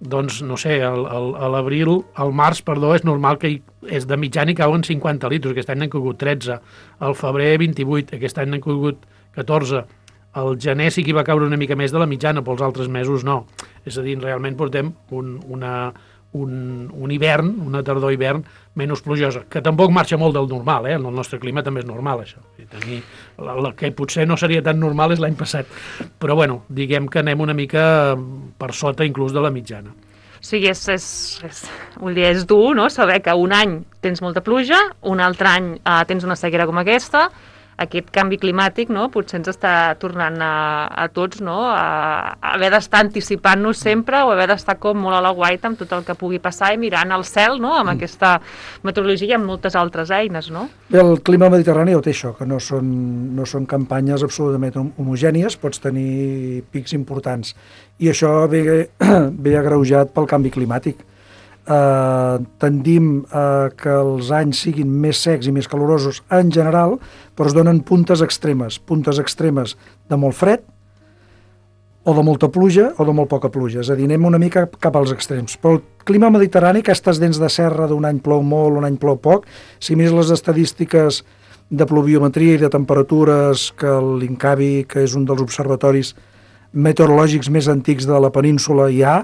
doncs, no sé, al, al, a l'abril, al març, perdó, és normal que hi, és de mitjana hi cauen cinquanta litros, aquest any n'han caigut tretze, al febrer vint-i-vuit, aquest any n'han caigut catorze, al gener sí que hi va caure una mica més de la mitjana, però els altres mesos no. És a dir, realment portem un, una... Un, un hivern, una tardor-hivern menys plujosa, que tampoc marxa molt del normal, eh? En el nostre clima també és normal, això. I tenir, la, la que potser no seria tan normal és l'any passat, però bueno, diguem que anem una mica per sota inclús de la mitjana. O sigui, és, és, és, vull dir, és dur, no?, saber que un any tens molta pluja, un altre any eh, tens una sequera com aquesta, aquest canvi climàtic, no?, potser ens està tornant a, a tots, no?, a, a haver d'estar anticipant-nos sempre o haver d'estar com molt a la guaita amb tot el que pugui passar i mirant al cel, no?, amb mm. aquesta meteorologia i amb moltes altres eines, no? Bé, el clima mediterrani ho té això, que no són, no són campanyes absolutament homogènies, pots tenir pics importants. I això ve, ve agreujat pel canvi climàtic. eh, tendim a que els anys siguin més secs i més calorosos en general, però es donen puntes extremes, puntes extremes de molt fred, o de molta pluja o de molt poca pluja, és a dir, anem una mica cap als extrems. Però el clima mediterrani, aquestes dents de serra d'un any plou molt, un any plou poc, si mires les estadístiques de pluviometria i de temperatures que l'INCAVI, que és un dels observatoris meteorològics més antics de la península, hi ha,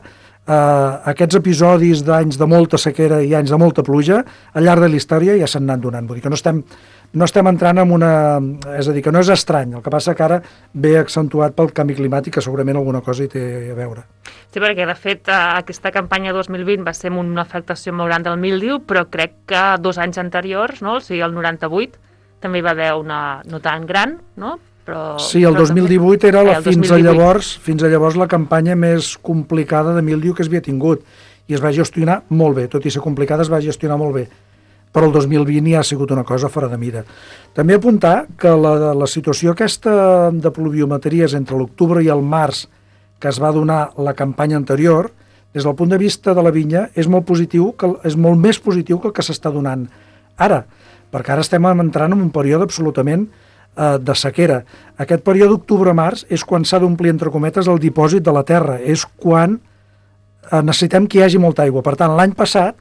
eh, aquests episodis d'anys de molta sequera i anys de molta pluja, al llarg de la història ja s'han anat donant. Vull dir que no estem, no estem entrant en una... És a dir, que no és estrany, el que passa que ara ve accentuat pel canvi climàtic, que segurament alguna cosa hi té a veure. Sí, perquè de fet aquesta campanya dos mil vint va ser amb una afectació molt gran del míldiu, però crec que dos anys anteriors, no? O sigui, el noranta-vuit, també hi va haver una no tan gran, no? Però, sí, el però dos mil divuit també... era la, eh, fins, a llavors, fins a llavors la campanya més complicada de míldiu que es havia tingut, i es va gestionar molt bé, tot i ser complicada es va gestionar molt bé, però el dos mil vint ja ha sigut una cosa fora de mida. També apuntar que la, la situació aquesta de pluviometries entre l'octubre i el març que es va donar la campanya anterior, des del punt de vista de la vinya, és molt positiu, que, és molt més positiu que el que s'està donant ara, perquè ara estem entrant en un període absolutament eh, de sequera. Aquest període d'octubre-març és quan s'ha d'omplir, entre cometes, el dipòsit de la terra, és quan eh, necessitem que hi hagi molta aigua. Per tant, l'any passat,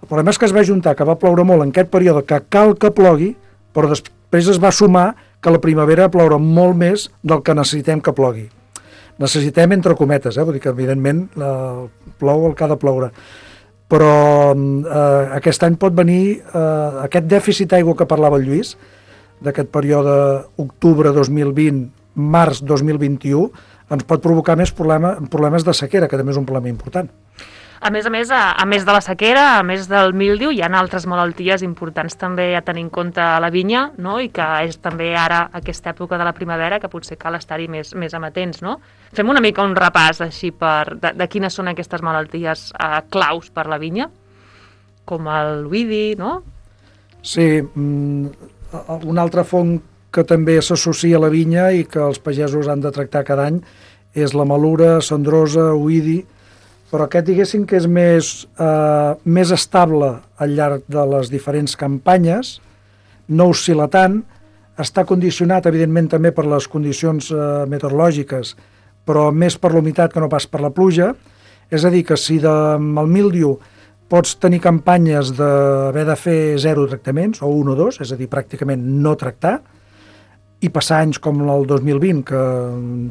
el problema és que es va juntar, que va ploure molt en aquest període, que cal que plogui, però després es va sumar que la primavera va ploure molt més del que necessitem que plogui. Necessitem entre cometes, eh? Vull dir que evidentment eh, plou el que ha de ploure. Però eh, aquest any pot venir eh, aquest dèficit d'aigua que parlava el Lluís, d'aquest període octubre dos mil vint, març dos mil vint-i-u, ens pot provocar més problema, problemes de sequera, que també és un problema important. A més a més, a, a més de la sequera, a més del míldiu, hi ha altres malalties importants també a tenir en compte a la vinya, no? I que és també ara aquesta època de la primavera que potser cal estar-hi més, més amatents, no? Fem una mica un repàs així per, de, de quines són aquestes malalties eh, claus per la vinya, com el oïdi, no? Sí, mm, una altra font que també s'associa a la vinya i que els pagesos han de tractar cada any és la malura, cendrosa, oïdi, però aquest diguéssim que és més, eh, més estable al llarg de les diferents campanyes, no oscil·la tant, està condicionat evidentment també per les condicions eh, meteorològiques, però més per l'humitat que no pas per la pluja, és a dir, que si de, amb el míldiu pots tenir campanyes d'haver de fer zero tractaments, o un o dos, és a dir, pràcticament no tractar, i passar anys com el dos mil vint, que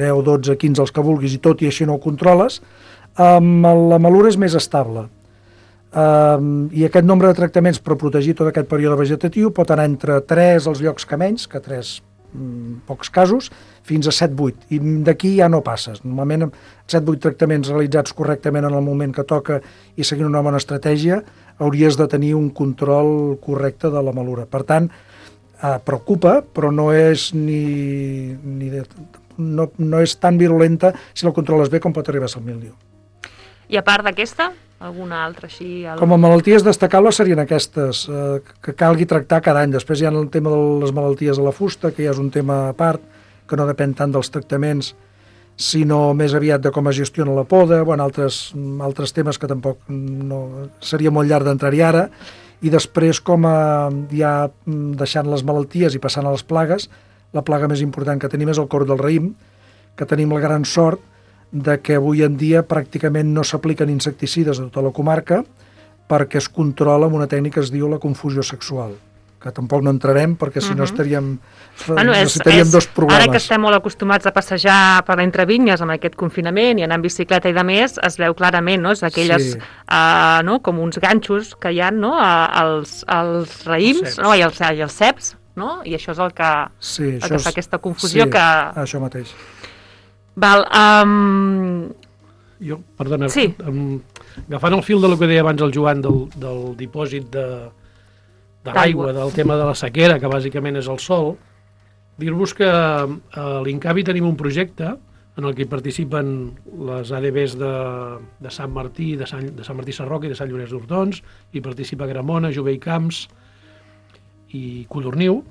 deu, dotze, quinze, els que vulguis, i tot i així no ho controles, Um, la malura és més estable um, i aquest nombre de tractaments per protegir tot aquest període vegetatiu pot anar entre tres als llocs que menys, que tres um, pocs casos, fins a set vuit, i d'aquí ja no passes. Normalment set vuit tractaments realitzats correctament en el moment que toca i seguint una bona estratègia hauries de tenir un control correcte de la malura. Per tant, uh, preocupa, però no és ni, ni de, no, no és tan virulenta si la controles bé com pot arribar a ser el míldiu. I a part d'aquesta, alguna altra així? Algun... Com a malalties destacables serien aquestes, eh, que calgui tractar cada any. Després hi ha el tema de les malalties a la fusta, que ja és un tema a part, que no depèn tant dels tractaments, sinó més aviat de com es gestiona la poda, bueno, altres, altres temes que tampoc no, seria molt llarg d'entrar-hi ara, i després com a, ja deixant les malalties i passant a les plagues, la plaga més important que tenim és el corc del raïm, que tenim la gran sort de que avui en dia pràcticament no s'apliquen insecticides a tota la comarca perquè es controla amb una tècnica que es diu la confusió sexual, que tampoc no entrarem perquè si no estaríem, bueno, és, necessitaríem és, dos programes. Ara que estem molt acostumats a passejar per entre vinyes amb aquest confinament i anar en bicicleta i de més, es veu clarament, no? És aquelles, sí. uh, no? Com uns ganxos que hi ha, no? Uh, els, els raïms, no? I els, i els ceps, no? I això és el que, sí, el que fa aquesta confusió. Sí, que... això mateix. Val, um... Jo, perdona, sí. um, agafant el fil de lo que deia abans el Joan del, del dipòsit de, de l'aigua, del tema de la sequera, que bàsicament és el sol, dir-vos que a l'INCAVI tenim un projecte en el que participen les A D Bs de, de Sant Martí, de Sant, de Sant Martí Sarroca i de Sant Llorenç d'Hortons, i participa Gramona, Jové i Camps i Codorniu,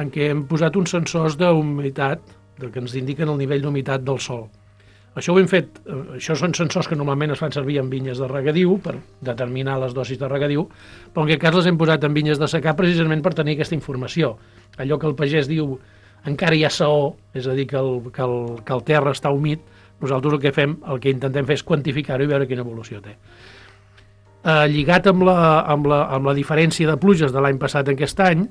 en què hem posat uns sensors d'humitat que ens indiquen el nivell d'humitat del sòl. Això ho hem fet, això són sensors que normalment es fan servir en vinyes de regadiu per determinar les dosis de regadiu, però en aquest cas les hem posat en vinyes de secà precisament per tenir aquesta informació. Allò que el pagès diu encara hi ha saó, és a dir, que el, que el, que el terra està humit, nosaltres el que fem, el que intentem fer és quantificar-ho i veure quina evolució té. Eh, lligat amb la, amb, la, amb la diferència de pluges de l'any passat en aquest any,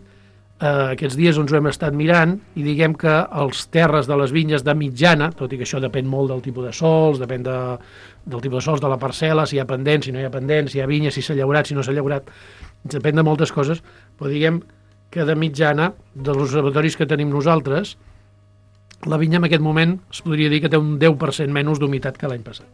eh, aquests dies ens ho hem estat mirant i diguem que els terres de les vinyes de mitjana, tot i que això depèn molt del tipus de sols, depèn de, del tipus de sols de la parcel·la, si hi ha pendent, si no hi ha pendent, si hi ha vinya, si s'ha llaurat, si no s'ha llaurat, depèn de moltes coses, però diguem que de mitjana, dels observatoris que tenim nosaltres, la vinya en aquest moment es podria dir que té un deu per cent menys d'humitat que l'any passat,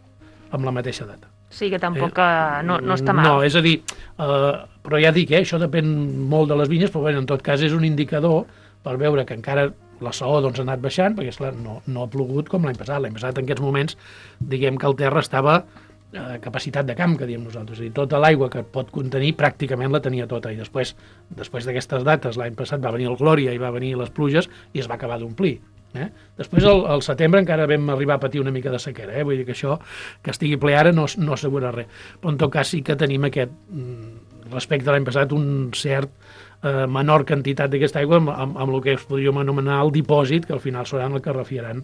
amb la mateixa data. Sí, que tampoc eh, no, no està mal. No, és a dir, eh, però ja dic, eh, això depèn molt de les vinyes, però bueno, en tot cas és un indicador per veure que encara la saó doncs, ha anat baixant, perquè esclar, no, no ha plogut com l'any passat. L'any passat en aquests moments, diguem que el terra estava a capacitat de camp, que diem nosaltres. És a dir, tota l'aigua que pot contenir pràcticament la tenia tota, i després després d'aquestes dates, l'any passat va venir el Glòria i va venir les pluges i es va acabar d'omplir. Eh? Després, al, al setembre, encara vam arribar a patir una mica de sequera. Eh? Vull dir que això, que estigui ple ara, no, no assegura res. Però en tot cas sí que tenim aquest, respecte a l'any passat, un cert eh, menor quantitat d'aquesta aigua amb, amb, amb el que podríem anomenar el dipòsit, que al final seran el que refiaran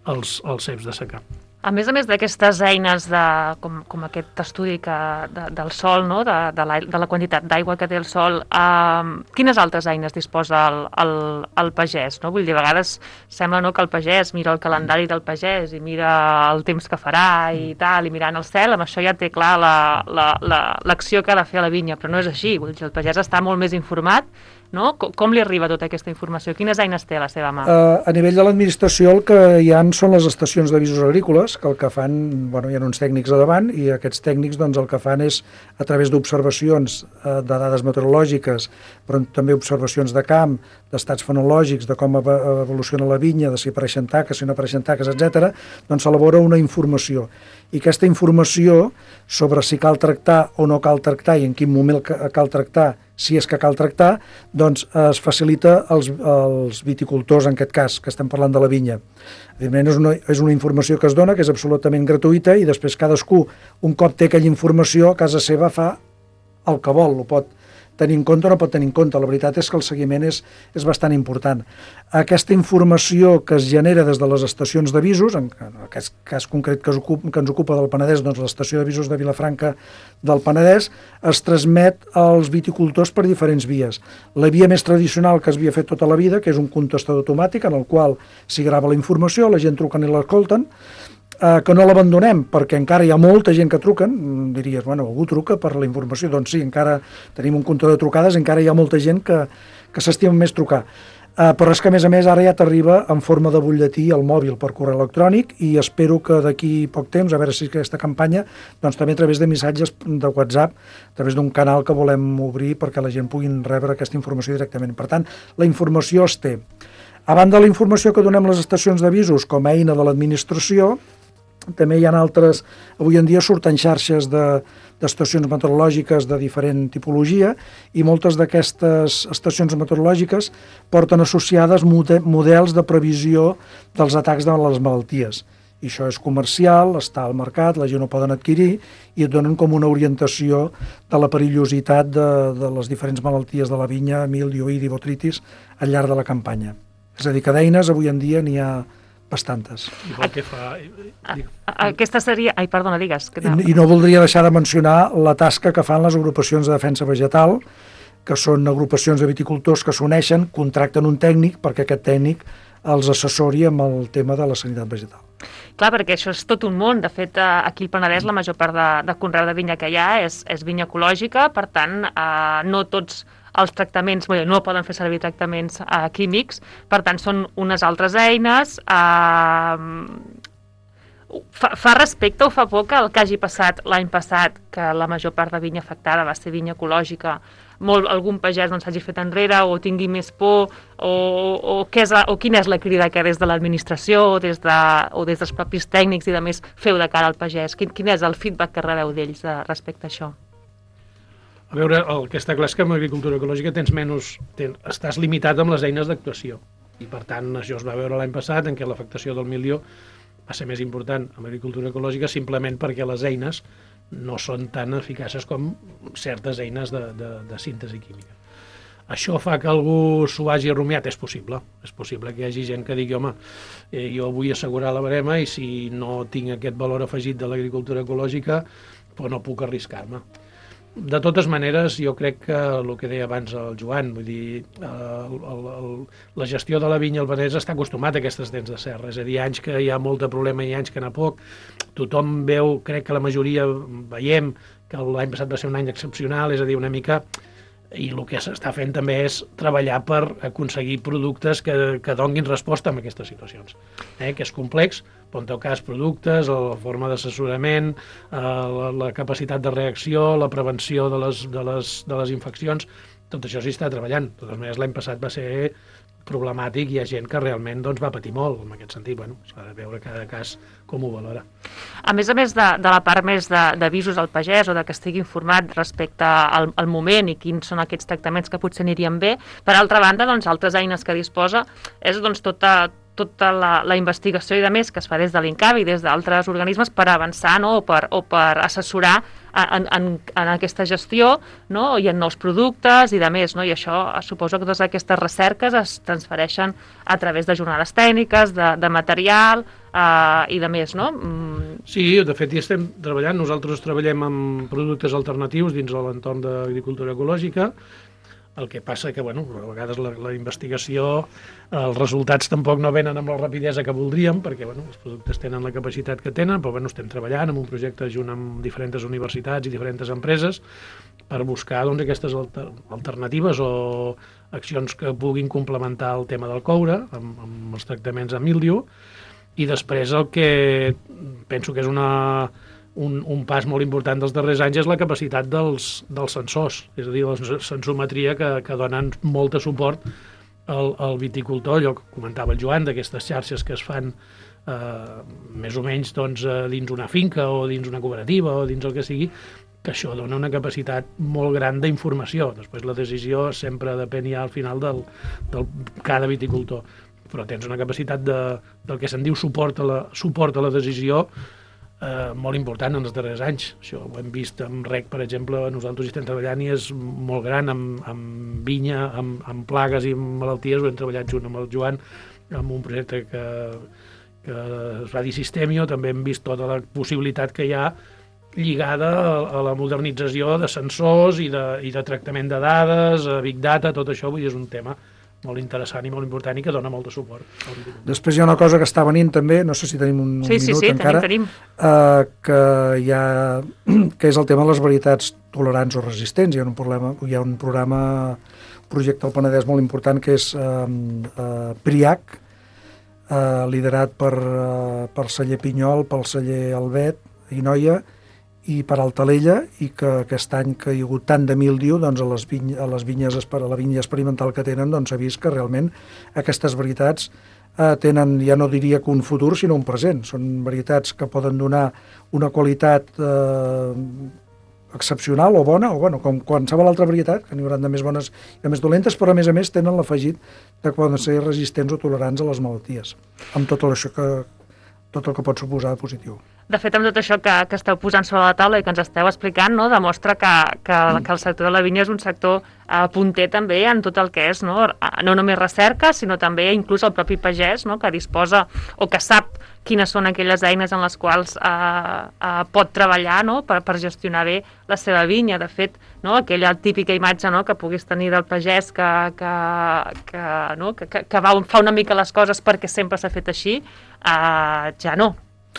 els, els ceps de secà. A més a més d'aquestes eines de, com, com aquest estudi que, de, del sol, no? de, de, la, de la quantitat d'aigua que té el sol, eh, quines altres eines disposa el, el, el pagès? No? Vull dir, a vegades sembla no, que el pagès mira el calendari del pagès i mira el temps que farà i tal, i mirant el cel, amb això ja té clar l'acció la, la, la, que ha de fer a la vinya, però no és així. Vull dir, el pagès està molt més informat. No? Com, com li arriba tota aquesta informació? Quines eines té a la seva mà? Uh, a nivell de l'administració el que hi ha són les estacions d'avisos agrícoles, que el que fan, bueno, hi ha uns tècnics a davant, i aquests tècnics doncs, el que fan és, a través d'observacions uh, de dades meteorològiques, però també observacions de camp, d'estats fenològics, de com evoluciona la vinya, de si apareixen taques, si no apareixen taques, etcètera, doncs s'elabora una informació. I aquesta informació sobre si cal tractar o no cal tractar i en quin moment cal tractar, si és que cal tractar, doncs es facilita als, als viticultors, en aquest cas, que estem parlant de la vinya. Evidentment, és una, és una informació que es dona, que és absolutament gratuïta, i després cadascú, un cop té aquella informació, a casa seva fa el que vol, ho pot tenir en compte o no pot tenir en compte. La veritat és que el seguiment és, és bastant important. Aquesta informació que es genera des de les estacions d'avisos, en aquest cas concret que, ocupa, que ens ocupa del Penedès, doncs l'estació d'avisos de Vilafranca del Penedès, es transmet als viticultors per diferents vies. La via més tradicional que es havia fet tota la vida, que és un contestador automàtic en el qual s'hi grava la informació, la gent truquen i l'escolten, Eh, que no l'abandonem, perquè encara hi ha molta gent que truquen, diries, bueno, algú truca per la informació, doncs sí, encara tenim un compte de trucades, encara hi ha molta gent que, que s'estima més trucar. Eh, però és que, a més a més, ara ja t'arriba en forma de butlletí al mòbil per correu electrònic, i espero que d'aquí poc temps, a veure si aquesta campanya, doncs també a través de missatges de WhatsApp, a través d'un canal que volem obrir perquè la gent puguin rebre aquesta informació directament. Per tant, la informació es té. A banda de la informació que donem les estacions d'avisos com a eina de l'administració, també hi ha altres, avui en dia surten xarxes de, d'estacions meteorològiques de diferent tipologia, i moltes d'aquestes estacions meteorològiques porten associades models de previsió dels atacs de les malalties. I això és comercial, està al mercat, la gent ho poden adquirir, i et donen com una orientació de la perillositat de, de les diferents malalties de la vinya, mildiu, oïdi, botritis, al llarg de la campanya. És a dir, que d'eines avui en dia n'hi ha bastantes. Igual que fa... Aquesta seria... Ai, perdona, digues. Que I, I no voldria deixar de mencionar la tasca que fan les agrupacions de defensa vegetal, que són agrupacions de viticultors que s'uneixen, contracten un tècnic perquè aquest tècnic els assessori amb el tema de la sanitat vegetal. Clar, perquè això és tot un món. De fet, aquí al Penedès la major part de, de conreu de vinya que hi ha és, és vinya ecològica, per tant, eh, no tots els tractaments, bé, no poden fer servir tractaments eh, químics, per tant són unes altres eines. Eh, fa, fa respecte o fa por que el que hagi passat l'any passat, que la major part de vinya afectada va ser vinya ecològica, molt, algun pagès doncs, s'hagi fet enrere o tingui més por, o, o, què és la, o quina és la crida que des de l'administració o, des de, o des dels propis tècnics i de més feu de cara al pagès? Quin, quin és el feedback que rebeu d'ells de, respecte a això? A veure, el que està clar és que amb l'agricultura ecològica tens menys, ten, estàs limitat amb les eines d'actuació. I per tant, això es va veure l'any passat, en què l'afectació del milió va ser més important amb l'agricultura ecològica simplement perquè les eines no són tan eficaces com certes eines de, de, de síntesi química. Això fa que algú s'ho hagi rumiat? És possible. És possible que hi hagi gent que digui, home, eh, jo vull assegurar la barema i si no tinc aquest valor afegit de l'agricultura ecològica, doncs no puc arriscar-me. De totes maneres, jo crec que el que deia abans el Joan, vull dir, el, el, el, la gestió de la vinya al Penedès està acostumat a aquestes dents de serra, és a dir, anys que hi ha molt de problema i anys que n'ha poc. Tothom veu, crec que la majoria veiem que l'any passat va ser un any excepcional, és a dir, una mica... I el que s'està fent també és treballar per aconseguir productes que, que donguin resposta a aquestes situacions, eh? Que és complex, però en tot cas productes, la forma d'assessorament, eh, la, la capacitat de reacció, la prevenció de les, de les, de les infeccions, tot això s'hi està treballant. De totes maneres, l'any passat va ser problemàtic i hi ha gent que realment doncs, va patir molt en aquest sentit. Bueno, s'ha de veure cada cas com ho valora. A més a més de, de la part més d'avisos al pagès o de que estigui informat respecte al, al moment i quins són aquests tractaments que potser anirien bé, per altra banda, doncs, altres eines que disposa és doncs, tota, tota la, la investigació i de més que es fa des de l'INCAB i des d'altres organismes per avançar, no? o, per, o per assessorar en, en, en aquesta gestió, no? I en nous productes i de més, no? I això suposo que totes aquestes recerques es transfereixen a través de jornades tècniques, de, de material eh, i de més, no? Mm. Sí, de fet hi estem treballant. Nosaltres treballem amb productes alternatius dins de l'entorn d'agricultura ecològica. El que passa que, bueno, a vegades la, la investigació, els resultats tampoc no venen amb la rapidesa que voldríem, perquè, bueno, els productes tenen la capacitat que tenen, però, bueno, estem treballant en un projecte junt amb diferents universitats i diferents empreses per buscar, doncs, aquestes alter, alternatives o accions que puguin complementar el tema del coure amb, amb els tractaments amb míldiu. I després el que penso que és una... Un, un pas molt important dels darrers anys és la capacitat dels, dels sensors, és a dir, la sensometria que, que donen molt de suport al, al viticultor, allò que comentava el Joan, d'aquestes xarxes que es fan eh, més o menys doncs, dins una finca o dins una cooperativa o dins el que sigui, que això dona una capacitat molt gran d'informació. Després la decisió sempre depèn ja al final del, del cada viticultor, però tens una capacitat de, del que se'n diu suport a la, suport a la decisió Eh, molt important en els darrers anys. Això ho hem vist amb rec, per exemple, nosaltres hi estem treballant i és molt gran amb, amb vinya, amb, amb plagues i amb malalties. Ho hem treballat junt amb el Joan amb un projecte que, que es va dir Sistemio. També hem vist tota la possibilitat que hi ha lligada a, a la modernització de sensors i de, i de tractament de dades, a Big Data, tot això. Vull dir, és un tema molt interessant i molt important i que dona molt de suport. Després hi ha una cosa que està venint també, no sé si tenim un, sí, un sí, minut sí, encara, tenim, tenim. Uh, que, hi ha, que és el tema de les varietats tolerants o resistents. Hi ha un, problema, hi ha un programa, un projecte al Penedès molt important que és uh, uh, PRIAC, uh, liderat per, uh, per celler Pinyol, pel celler Albet i Noia, i per Altalella, i que aquest any que hi ha hagut tant de míldiu, doncs a les, viny, a les vinyes, a la vinya experimental que tenen, doncs s'ha vist que realment aquestes varietats eh, tenen, ja no diria que un futur, sinó un present. Són varietats que poden donar una qualitat eh, excepcional o bona, o bueno, com qualsevol altra varietat, que n'hi haurà de més bones i de més dolentes, però a més a més tenen l'afegit de que poden ser resistents o tolerants a les malalties, amb tot això que, tot el que pot suposar de positiu. De fet, amb tot això que, que esteu posant sobre la taula i que ens esteu explicant, no, demostra que, que, que el sector de la vinya és un sector eh, punter també en tot el que és, no, no només recerca, sinó també inclús el propi pagès, no, que disposa o que sap quines són aquelles eines en les quals eh, eh, pot treballar, no, per, per gestionar bé la seva vinya. De fet, no, aquella típica imatge, no, que puguis tenir del pagès que, que, que, no, que, que va, fa una mica les coses perquè sempre s'ha fet així, eh, ja no,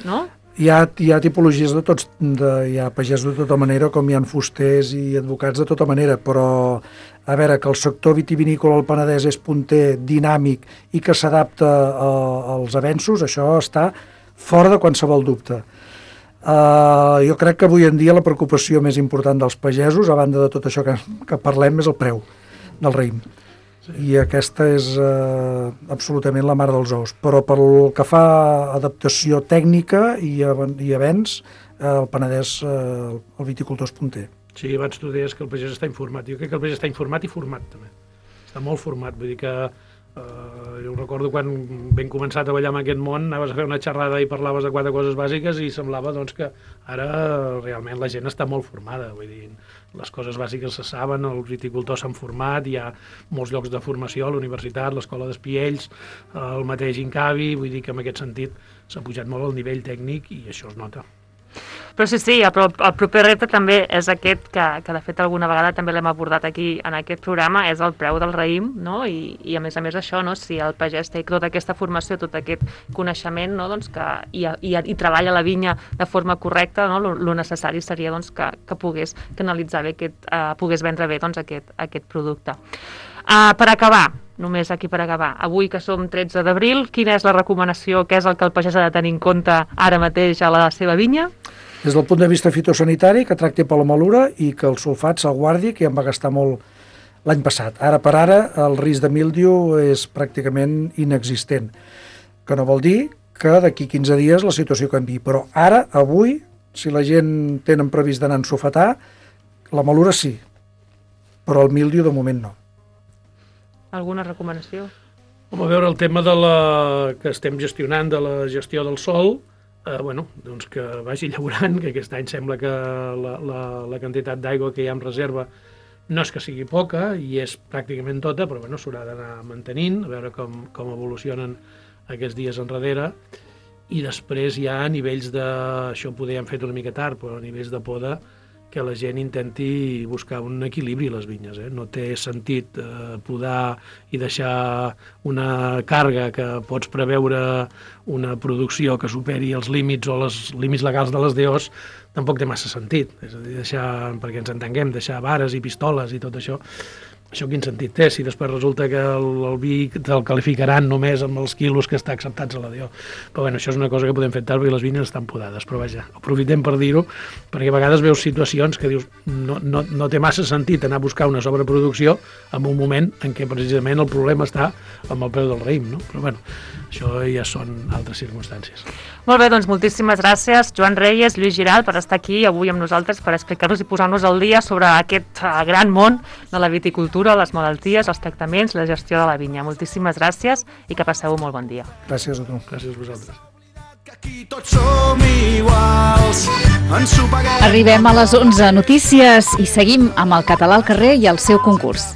no? Hi ha, hi ha tipologies de tots, de, hi ha pagès de tota manera, com hi ha fusters i advocats de tota manera, però a veure, que el sector vitivinícola al Penedès és punter, dinàmic i que s'adapta als avenços, això està fora de qualsevol dubte. Uh, jo crec que avui en dia la preocupació més important dels pagesos, a banda de tot això que, que parlem, és el preu del raïm. Sí. I aquesta és eh, absolutament la mare dels ous. Però pel que fa a adaptació tècnica i, i avenç, eh, el Penedès, eh, el viticultor és punter. Sí, abans tu deies que el pagès està informat. Jo crec que el pagès està informat i format, també. Està molt format, vull dir que Uh, jo recordo quan vam començar a treballar en aquest món, anaves a fer una xerrada i parlaves de quatre coses bàsiques i semblava doncs, que ara realment la gent està molt formada, vull dir, les coses bàsiques se saben, els viticultors s'han format, hi ha molts llocs de formació a la universitat, l'escola d'Espiells, el mateix Incavi, vull dir que en aquest sentit s'ha pujat molt el nivell tècnic i això es nota. Però sí, sí, el, el proper repte també és aquest, que, que de fet alguna vegada també l'hem abordat aquí en aquest programa, és el preu del raïm, no? I, i a més a més això, no? Si el pagès té tota aquesta formació, tot aquest coneixement, no? Doncs que, i, i, i treballa la vinya de forma correcta, no? Lo, lo necessari seria doncs, que, que pogués canalitzar bé, aquest, uh, pogués vendre bé doncs, aquest, aquest producte. Uh, per acabar, només aquí per acabar, avui que som tretze d'abril, quina és la recomanació, què és el que el pagès ha de tenir en compte ara mateix a la seva vinya? Des del punt de vista fitosanitari, que tracti per la malura i que el sulfat se'l guardi, que ja em va gastar molt l'any passat. Ara per ara el risc de míldiu és pràcticament inexistent, que no vol dir que d'aquí quinze dies la situació canvi. Però ara, avui, si la gent tenen previst d'anar a ensulfatar, la malura sí, però el míldiu de moment no. Alguna recomanació? Home, a veure, el tema de la... que estem gestionant de la gestió del sol, eh, bueno, doncs que vagi llaurant, que aquest any sembla que la, la, la quantitat d'aigua que hi ha en reserva no és que sigui poca, i és pràcticament tota, però bueno, s'haurà d'anar mantenint, a veure com, com evolucionen aquests dies enrere, i després hi ha nivells de... això poder hem fet una mica tard, però nivells de poda, que la gent intenti buscar un equilibri a les vinyes. Eh? No té sentit eh, podar i deixar una càrrega que pots preveure una producció que superi els límits o els límits legals de les D Os, tampoc té massa sentit. És a dir, deixar, perquè ens entenguem, deixar vares i pistoles i tot això, això quin sentit té? Si després resulta que el, el vi te'l qualificaran només amb els quilos que està acceptats a la D O. Però bueno, això és una cosa que podem fer tard perquè les vinyes estan podades. Però vaja, aprofitem per dir-ho, perquè a vegades veus situacions que dius no, no, no té massa sentit anar a buscar una sobreproducció en un moment en què precisament el problema està amb el preu del raïm, no? Però bueno, això ja són altres circumstàncies. Molt bé, doncs moltíssimes gràcies, Joan Reyes, Lluís Giral, per estar aquí avui amb nosaltres per explicar-nos i posar-nos al dia sobre aquest gran món de la viticultura, les malalties, els tractaments, la gestió de la vinya. Moltíssimes gràcies i que passeu un molt bon dia. Gràcies a tu. Gràcies a vosaltres. Aquí tots som iguals. Arribem a les onze notícies i seguim amb el català al carrer i el seu concurs.